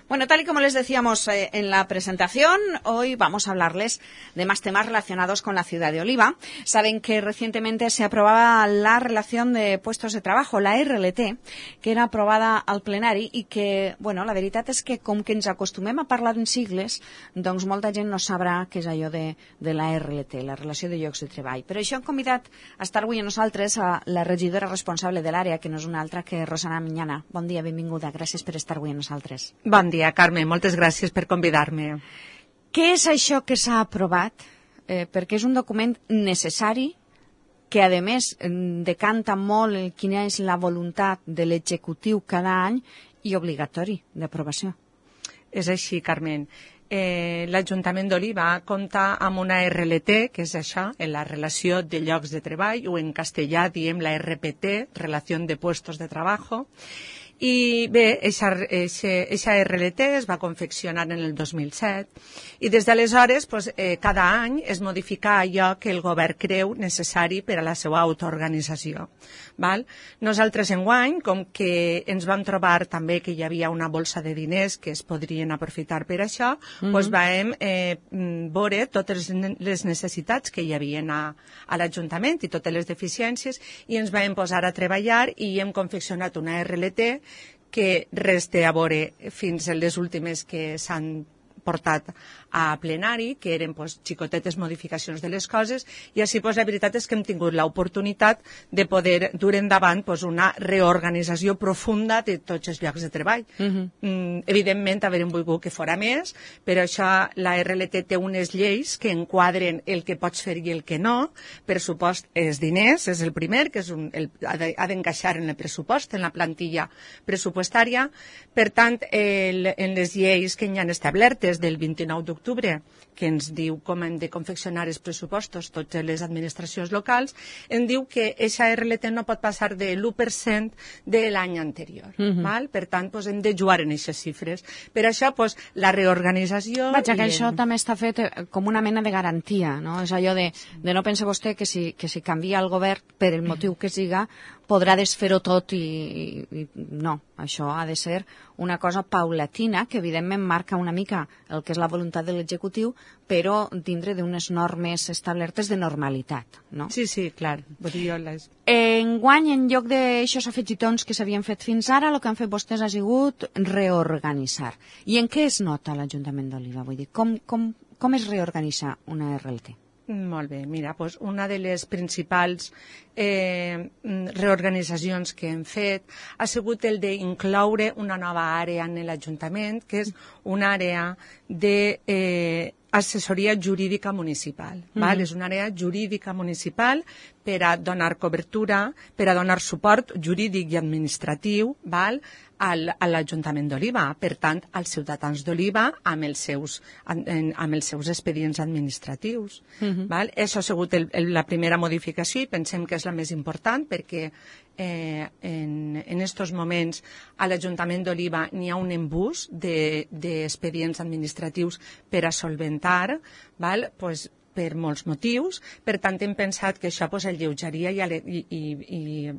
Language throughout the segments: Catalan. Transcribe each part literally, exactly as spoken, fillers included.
Bueno, tal y como les decíamos eh, en la presentación, hoy vamos a hablarles de más temas relacionados con la ciudad de Oliva. Saben que recientemente se aprobaba la relación de puestos de trabajo, la R L T, que era aprobada al plenari i que, bueno, la veritat és que com que ens acostumem a parlar en sigles, doncs molta gent no sabrà què és allò de, de la R L T, la relació de llocs de treball. Per això hem convidat a estar avui a nosaltres a la regidora responsable de l'àrea, que no és una altra que Rosana Miñana. Bon dia, benvinguda. Gràcies per estar avui a nosaltres. Bon dia, Carme. Moltes gràcies per convidar-me. Què és això que s'ha aprovat? Eh, perquè és un document necessari que, a més, decanta molt quina és la voluntat de l'executiu cada any i obligatori d'aprovació. És així, Carmen. Eh, L'Ajuntament d'Oliva compta amb una R L T, que és això, en la relació de llocs de treball, o en castellà diem la R P T, Relació de Puestos de Trabajo. I bé, aquesta R L T es va confeccionar en el dos mil set i des d'aleshores pues, eh, cada any es modifica allò que el govern creu necessari per a la seva autoorganització. Val? Nosaltres enguany, com que ens vam trobar també que hi havia una bolsa de diners que es podrien aprofitar per això, mm-hmm. pues vam eh, veure totes les necessitats que hi havia a, a l'Ajuntament i totes les deficiències i ens vam posar a treballar i hem confeccionat una R L T que res té a veure fins a les últimes que s'han portat a plenari, que eren pues, xicotetes modificacions de les coses, i així pues, la veritat és que hem tingut l'oportunitat de poder dur endavant pues, una reorganització profunda de tots els llocs de treball. Uh-huh. mm, evidentment, havíem volgut que fora més, però això la R L T té unes lleis que enquadren el que pots fer i el que no. Pressupost és diners, és el primer, que és un, el, ha d'encaixar en el pressupost, en la plantilla pressupostària. Per tant, el, en les lleis que hi han establertes del vint-i-nou d'octubre, que ens diu com hem de confeccionar els pressupostos totes les administracions locals, em diu que aquesta R L T no pot passar de l'u per cent de l'any anterior. Uh-huh. Val? Per tant, pues, hem de jugar en aquestes xifres. Per això, pues, la reorganització... Vaja, que això el... també està fet com una mena de garantia, no? És allò de, de no pensar vostè que si, que si canvia el govern, per el motiu que siga, podrà desfer-ho tot i, i, i no, això ha de ser una cosa paulatina que evidentment marca una mica el que és la voluntat de l'executiu, però dintre d'unes normes establertes de normalitat, no? Sí, sí, clar. Les... Enguany, en lloc d'aixòs afegitons que s'havien fet fins ara, el que han fet vostès ha sigut reorganitzar. I en què es nota l'Ajuntament d'Oliva? Vull dir, com, com, com es reorganitza una R L T? Molt bé, mira, doncs una de les principals eh, reorganitzacions que hem fet ha sigut el d'incloure una nova àrea en l'Ajuntament, que és una àrea de eh, assessoria jurídica municipal. Mm-hmm. Val? És una àrea jurídica municipal per a donar cobertura, per a donar suport jurídic i administratiu, val? Al, a l'Ajuntament d'Oliva, per tant, als ciutadans d'Oliva amb, els seus, amb, amb els seus expedients administratius. Uh-huh. Val? Això ha sigut el, el, la primera modificació i pensem que és la més important perquè eh, en estos moments a l'Ajuntament d'Oliva n'hi ha un embús d'expedients de, administratius per a solventar, val? Pues, per molts motius. Per tant, hem pensat que això pues, alleujaria i, i, i, i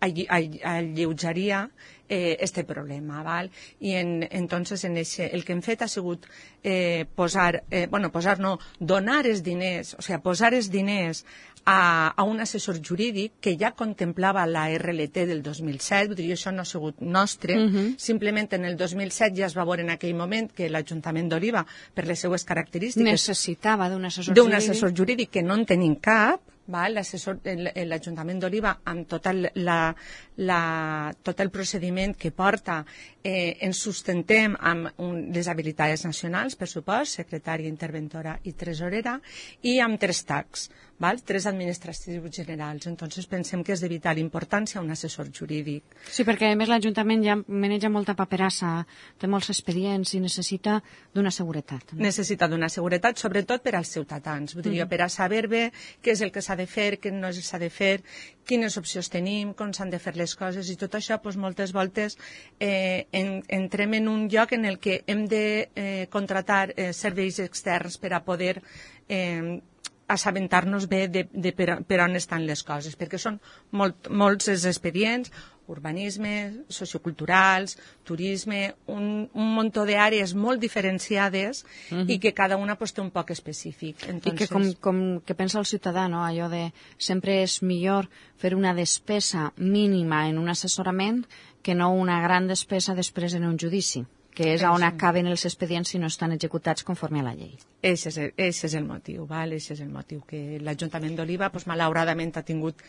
alleujaria eh, este problema, val? I en, entonces en ese, el que hem fet ha sigut eh, posar, eh, bueno, posar no, donar els diners, o sigui, posar els diners a, a un assessor jurídic que ja contemplava la R L T del dos mil set, vull dir, això no ha sigut nostre, uh-huh. Simplement en el dos mil set ja es va veure en aquell moment que l'Ajuntament d'Oliva, per les seues característiques... Necessitava d'un assessor jurídic. D'un assessor jurídic que no en tenim cap, l'Ajuntament d'Oliva amb tot el, la, la, tot el procediment que porta eh, ens sustentem amb un, les habilitats nacionals, per supost, secretària, interventora i tresorera, i amb tres tacs, val? Tres administratius generals. Entonces pensem que és de vital importància un assessor jurídic. Sí, perquè a més l'Ajuntament ja maneja molta paperassa, té molts expedients i necessita d'una seguretat. No? Necessita d'una seguretat, sobretot per als ciutadans. Vull dir, mm. per a saber bé què és el que s'ha de fer, què no s'ha de fer, quines opcions tenim, com s'han de fer les coses i tot això, doncs, moltes voltes eh, en, entrem en un lloc en el que hem de eh, contratar eh, serveis externs per a poder eh, assabentar-nos bé de, de per, per on estan les coses, perquè són molt, molts els expedients urbanisme, socioculturals, turisme, un, un munt d'àrees molt diferenciades uh-huh. i que cada una pues, té un poc específic. Entonces... I que com, com que pensa el ciutadà, no? Allò de sempre és millor fer una despesa mínima en un assessorament que no una gran despesa després en un judici, que és on acaben els expedients si no estan executats conforme a la llei. Ese és el, ese és el motiu, val? Ese és el motiu que l'Ajuntament d'Oliva, pues, malauradament, ha tingut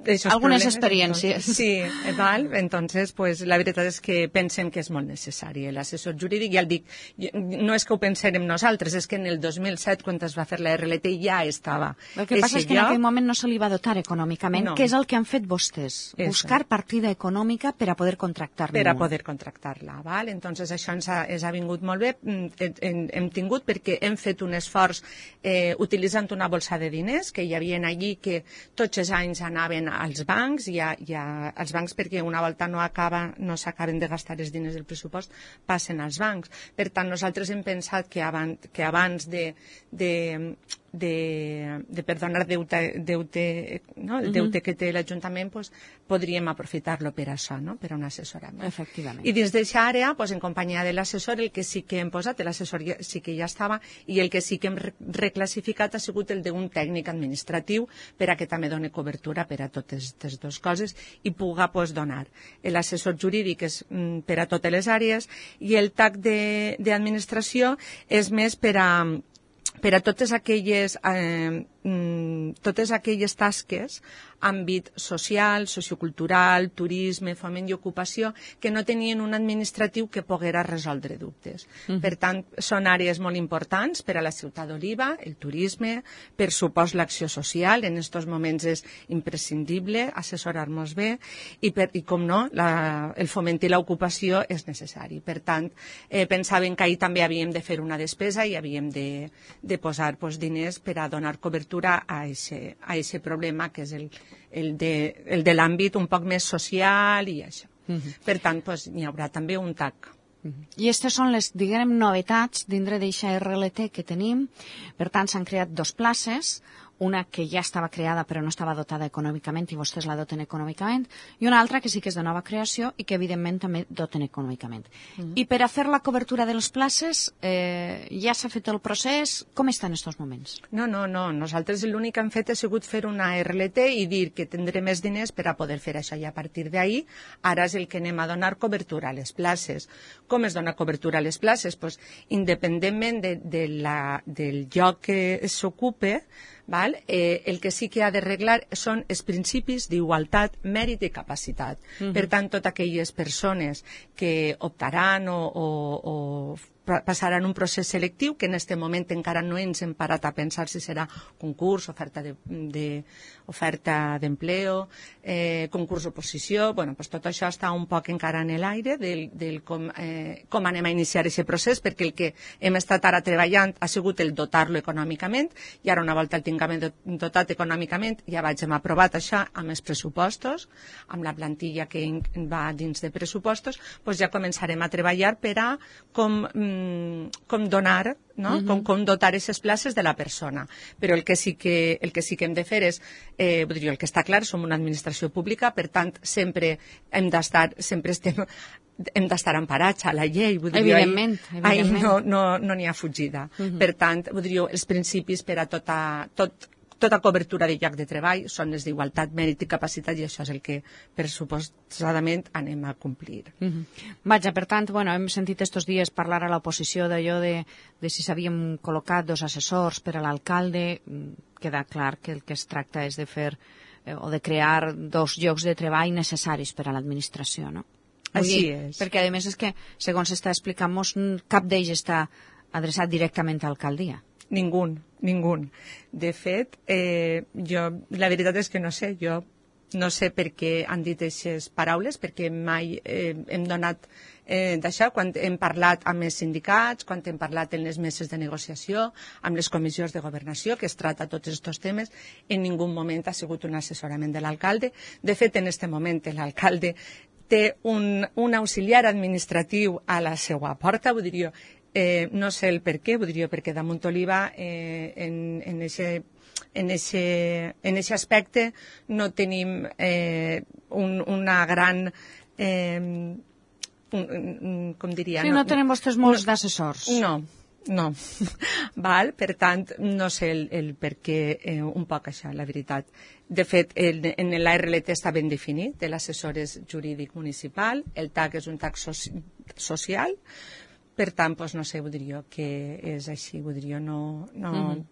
algunes problemes, experiències. Entonces, sí, val? Entonces, pues, la veritat és que pensem que és molt necessari l'assessor jurídic. Ja el dic, no és que ho pensem nosaltres, és que en el dos mil set, quan es va fer la R L T, ja estava. El que passa és que en aquell moment no se li va dotar econòmicament, no. que és el que han fet vostès, Eso. buscar partida econòmica per a poder contractar-la. Per a poder contractar-la, val? Entonces, això ens ha, ens ha vingut molt bé. Hem, hem tingut perquè hem fet un esforç eh, utilitzant una bolsa de diners que hi havia allí que tots els anys anaven als bancs, i a, i a, als bancs perquè una volta no acaba, no s'acaben de gastar els diners del pressupost, passen als bancs. Per tant, nosaltres hem pensat que abans, que abans de, de, de, de perdonar deute, deute, no? el deute uh-huh. que té l'Ajuntament, pues, podríem aprofitar-lo per això, no? per a un assessorament. Efectivament. I dins d'aquesta àrea, pues, en companyia de l'assessor, el que sí que hem posat, l'assessor sí que ja estava, i el que sí que hem reclassificat ha sigut el d'un tècnic administratiu per a que també doni cobertura per a totes aquestes dues coses i puga pues, donar. L'assessor jurídic és mm, per a totes les àrees i el tac d'administració és més per a, per a totes aquelles, eh, mm, totes aquelles tasques àmbit social, sociocultural, turisme, foment i ocupació, que no tenien un administratiu que poguera resoldre dubtes. Uh-huh. Per tant, són àrees molt importants per a la ciutat d'Oliva, el turisme, per supost l'acció social, en aquests moments és imprescindible assessorar-nos bé, i, per, i com no, la, el foment i l'ocupació és necessari. Per tant, eh, pensaven que ahir també havíem de fer una despesa i havíem de, de posar pues, diners per a donar cobertura a aquest problema que és el el de, el de l'àmbit un poc més social i això. Uh-huh. Per tant, pues, n'hi haurà també un tac. Uh-huh. I aquestes són les, diguem, novetats dintre d'eixa R L T que tenim. Per tant, s'han creat dos places, una que ja estava creada però no estava dotada econòmicament i vostès la doten econòmicament, i una altra que sí que és de nova creació i que evidentment també doten econòmicament. Uh-huh. I per a fer la cobertura de les places eh, ja s'ha fet el procés. Com està en aquests moments? No, no, no. Nosaltres l'únic que hem fet ha sigut fer una R L T i dir que tindré més diners per a poder fer això, i a partir d'ahir ara és el que anem a donar cobertura a les places. Com es dona cobertura a les places? Pues, independentment de, de la, del lloc que s'ocupe, val? Eh, el que sí que ha d'arreglar són els principis d'igualtat, mèrit i capacitat. Uh-huh. Per tant, totes aquelles persones que optaran o, o, o passaran un procés selectiu, que en aquest moment encara no ens hem parat a pensar si serà concurs, oferta de, de, oferta d'empleo, eh, concurs oposició. Bueno, pues tot això està un poc encara en l'aire del, del com, eh, com anem a iniciar aquest procés, perquè el que hem estat ara treballant ha sigut el dotar-lo econòmicament, i ara una volta el tinguem dotat econòmicament, ja vaig hem aprovat això amb els pressupostos, amb la plantilla que va dins de pressupostos, pues ja començarem a treballar per a com com donar, no? uh-huh. com, com dotar aquestes places de la persona. Però el que sí que, el que, sí que hem de fer és, eh, vull dir, el que està clar, som una administració pública, per tant, sempre hem d'estar, sempre estem, hem d'estar emparats a la llei. Vull dir, evidentment. Ahí, evidentment. Ahí no n'hi no, no ha fugida. Uh-huh. Per tant, vull dir, els principis per a tota, tot, tota cobertura de lloc de treball són les d'igualtat, mèrit i capacitat, i això és el que pressuposadament anem a complir. Uh-huh. Vaja, per tant, bueno, hem sentit estos dies parlar a l'oposició d'allò de, de si s'havien col·locat dos assessors per a l'alcalde. Queda clar que el que es tracta és de fer eh, o de crear dos llocs de treball necessaris per a l'administració, no? Així dir, és. Perquè, a més, és que, segons s'està explicant-nos, cap d'ells està adreçat directament a l'alcaldia. Ningú, ningú. De fet, eh, jo, la veritat és que no sé, jo no sé per què han dit aquestes paraules, perquè mai eh, hem donat eh, d'això, quan hem parlat amb els sindicats, quan hem parlat en les meses de negociació, amb les comissions de governació, que es tracta tots aquests temes, en ningú moment ha sigut un assessorament de l'alcalde. De fet, en aquest moment l'alcalde té un, un auxiliar administratiu a la seva porta, vull dir, Eh, no sé el per què, vull dir, perquè damunt Oliva, eh, en, en ese, en aquest aspecte no tenim eh, un, una gran... Eh, un, com diria... Sí, no, no tenim vostès molts no, d'assessors. No, no. Val? Per tant, no sé el, el per què eh, un poc això, la veritat. De fet, el, en l'A R L T està ben definit, l'assessor és jurídic municipal, el T A C és un T A C soci, social, per tant, doncs, no sé, vull dir jo que és així, vull dir jo no... no... Mm-hmm.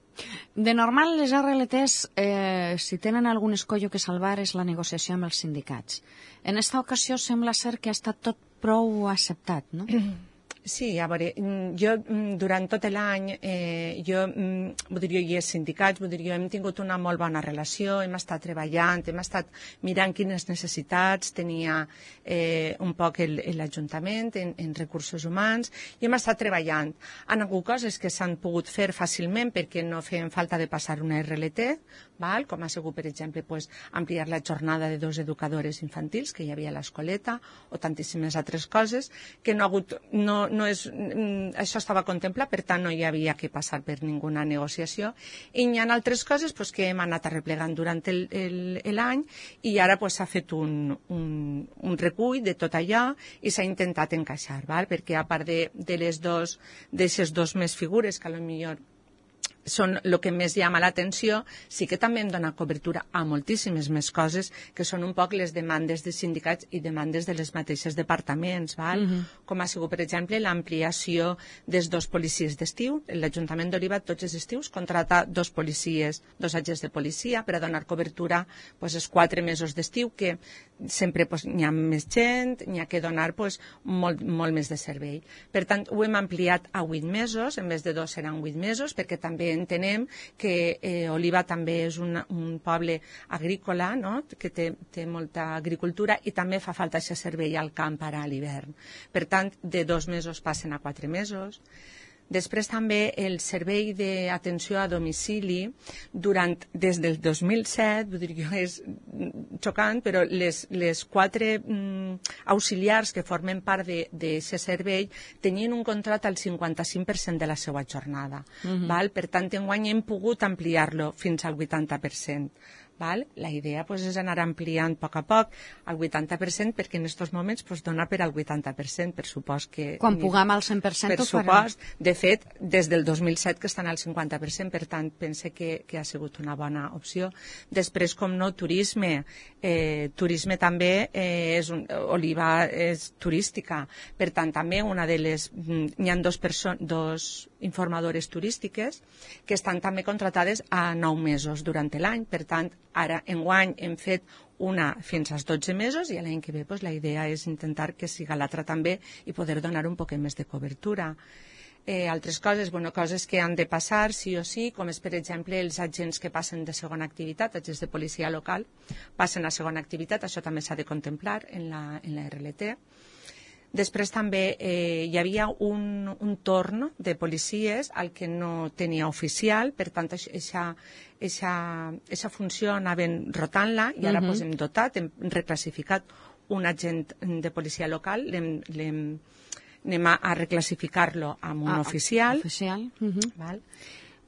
De normal, les R L Ts, eh, si tenen algun escollo que salvar, és la negociació amb els sindicats. En esta ocasió sembla ser que ha estat tot prou acceptat, no? Sí, a veure, jo durant tot l'any, eh, jo, vull dir, jo i els sindicats, vull dir, jo hem tingut una molt bona relació, hem estat treballant, hem estat mirant quines necessitats tenia eh, un poc l'Ajuntament en, en recursos humans, i hem estat treballant. Han hagut coses que s'han pogut fer fàcilment perquè no feien falta de passar una R L T, val? Com ha sigut, per exemple, pues, ampliar la jornada de dos educadores infantils que hi havia a l'escoleta, o tantíssimes altres coses que no ha hagut... No, no és, això estava contemplat, per tant no hi havia que passar per ninguna negociació, i hi ha altres coses pues, que hem anat arreplegant durant l'any i ara pues, s'ha fet un, un, un recull de tot allò i s'ha intentat encaixar, val? Perquè a part de, de les dos, d'aquestes dos més figures que potser són el que més llama l'atenció, sí que també hem donat cobertura a moltíssimes més coses que són un poc les demandes de sindicats i demandes de les mateixes departaments, val? Uh-huh. Com ha sigut, per exemple, l'ampliació dels dos policies d'estiu. L'Ajuntament d'Oliva tots els estius contrata dos policies, dos agents de policia per a donar cobertura pues, els quatre mesos d'estiu que sempre pues, n'hi ha més gent, n'hi ha que donar pues, molt, molt més de servei. Per tant, ho hem ampliat a vuit mesos, en vez de dos seran vuit mesos, perquè també entenem que eh, Oliva també és un, un poble agrícola, no? Que té, té molta agricultura i també fa falta aquest servei al camp ara a l'hivern. Per tant, de dos mesos passen a quatre mesos. Després també el servei d'atenció a domicili durant, des del dos mil set, vull dir que és xocant, però les, les quatre mm, auxiliars que formen part d'aquest servei tenien un contracte al cinquanta-cinc per cent de la seva jornada. Uh-huh. Val? Per tant, enguany hem pogut ampliar-lo fins al vuitanta per cent. Val? La idea pues, és anar ampliant a poc a poc al vuitanta per cent perquè en aquests moments pues, dona per al vuitanta per cent, per supost que... Quan puguem al cent per cent per ho farem. Supost, de fet, des del dos mil set que estan al cinquanta per cent, per tant, pense que, que ha sigut una bona opció. Després, com no, turisme. Eh, turisme també eh, és un, Oliva és turística, per tant, també una de les... N'hi ha dos, dos informadores turístiques que estan també contratades a nou mesos durant l'any, per tant, ara, enguany, hem fet una fins als dotze mesos i l'any que ve pues, la idea és intentar que siga l'altra també i poder donar un poc més de cobertura. Eh, altres coses, bueno, coses que han de passar sí o sí, com és, per exemple, els agents que passen de segona activitat, agents de policia local, passen a segona activitat, això també s'ha de contemplar en la, en la R L T. Després també eh, hi havia un, un torn de policies al que no tenia oficial, per tant, aquesta funció anaven rotant-la i ara uh-huh. pues, hem dotat, hem reclassificat un agent de policia local, l'hem, l'hem, anem a, a reclassificar-lo amb un ah, oficial. Oficial. Uh-huh. Val?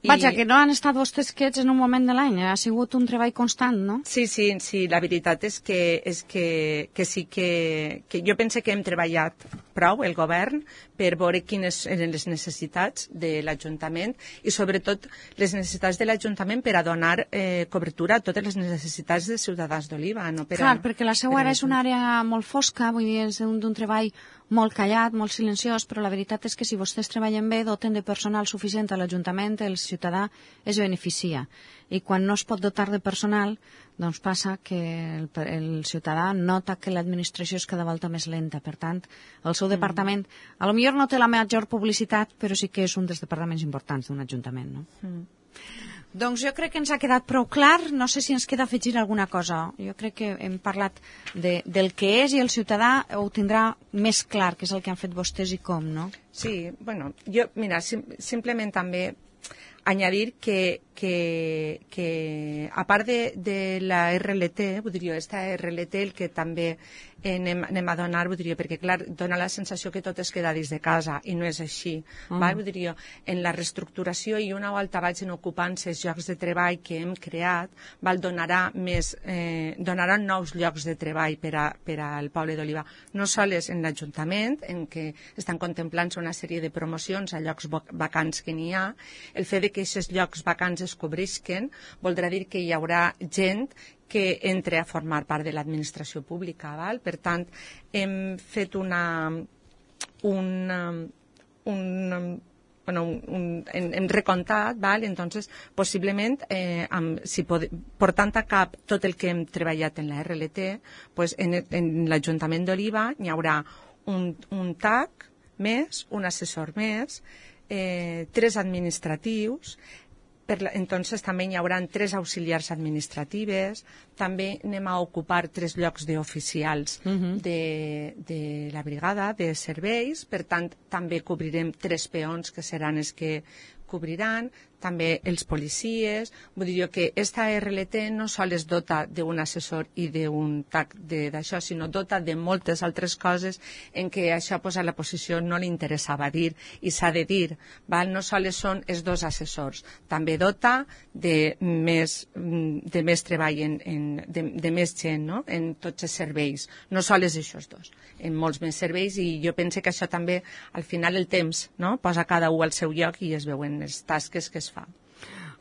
Vaja, que no han estat vostès quiets en un moment de l'any, ha sigut un treball constant, no? Sí, sí, sí, la veritat és que, és que, que sí que, que jo penso que hem treballat prou, el govern, per veure quines eren les necessitats de l'Ajuntament i sobretot les necessitats de l'Ajuntament per a donar eh, cobertura a totes les necessitats dels ciutadans d'Oliva. No? Per Clar, a, perquè la seva ara és una àrea molt fosca, vull dir, és un, d'un treball molt callat, molt silenciós, però la veritat és que si vostès treballen bé, doten de personal suficient a l'Ajuntament, el ciutadà es beneficia. I quan no es pot dotar de personal, doncs passa que el, el ciutadà nota que l'administració és cada volta més lenta. Per tant, el seu mm. departament, a lo millor no té la major publicitat, però sí que és un dels departaments importants d'un ajuntament, no? Mm. Doncs jo crec que ens ha quedat prou clar. No sé si ens queda afegir alguna cosa. Jo crec que hem parlat de, del que és i el ciutadà ho tindrà més clar, que és el que han fet vostès i com, no? Sí, bueno, jo, mira, sim, simplement també añadir que, que, que a part de, de la R L T, vull dir, esta R L T el que també anem, anem a donar, vull dir, perquè clar, dona la sensació que tot es queda dins de casa i no és així. Mm. Val? Vull dir, en la reestructuració i una volta vagin ocupant-se els llocs de treball que hem creat, val, donarà més, eh, donarà nous llocs de treball per, a, per al poble d'Oliva. No sols en l'Ajuntament, en què estan contemplant-se una sèrie de promocions a llocs vacants que n'hi ha. El fet de que aquests llocs vacants es cobrisquen voldrà dir que hi haurà gent que entre a formar part de l'administració pública. Val? Per tant, hem fet una... una un, bueno, un, un, hem, hem recomptat, val? Entonces, possiblement, eh, amb, si pod, portant a cap tot el que hem treballat en la R L T, pues en, en l'Ajuntament d'Oliva hi haurà un, un T A C més, un assessor més, eh, tres administratius, per la, entonces també hi haurà tres auxiliars administratives, també anem a ocupar tres llocs d'oficials uh-huh. de, de la brigada de serveis, per tant també cobrirem tres peons que seran els que cobriran, també els policies. Vull dir que esta R L T no sols dota d'un assessor i d'un T A C d'això, sinó dota de moltes altres coses en què això pues, a la posició no li interessava dir i s'ha de dir. Val? No sols són els dos assessors, també dota de més, de més treball, en, en, de, de més gent, no? En tots els serveis, no sols aquests dos, en molts més serveis, i jo penso que això també al final el temps, no? Posa cada un al seu lloc i es veuen les tasques que es fa.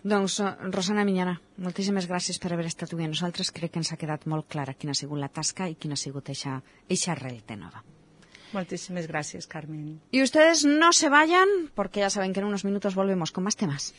Doncs, Rosana Miñana, moltíssimes gràcies per haver estat avui amb nosaltres. Crec que ens ha quedat molt clara quina ha sigut la tasca i quina ha sigut eixa, eixa R L T nova. Muchísimas gracias, Carmen. Y ustedes no se vayan, porque ya saben que en unos minutos volvemos con más temas.